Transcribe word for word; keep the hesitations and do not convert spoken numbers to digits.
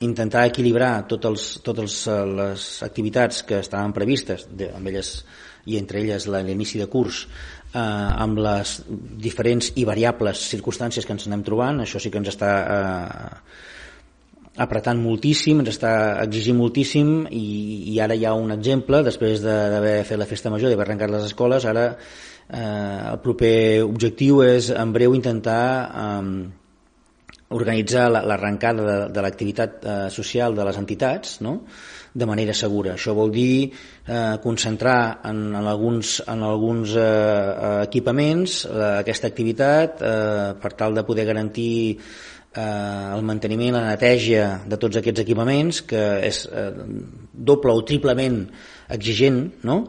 intentar equilibrar totes els, les activitats que estaven previstes, de, amb elles, i entre elles l'inici de curs, eh, amb les diferents i variables circumstàncies que ens anem trobant. Això sí que ens està eh, apretant moltíssim, ens està exigint moltíssim, i, i ara hi ha un exemple, després d'haver fet la festa major, d'haver arrencat les escoles. Ara eh, el proper objectiu és en breu intentar eh, organitzar l'arrencada de, de l'activitat eh, social de les entitats, no?, de manera segura. Això vol dir eh, concentrar en, en alguns, en alguns eh, equipaments eh, aquesta activitat eh, per tal de poder garantir eh, el manteniment, la neteja de tots aquests equipaments, que és eh, doble o triplement exigent, no?,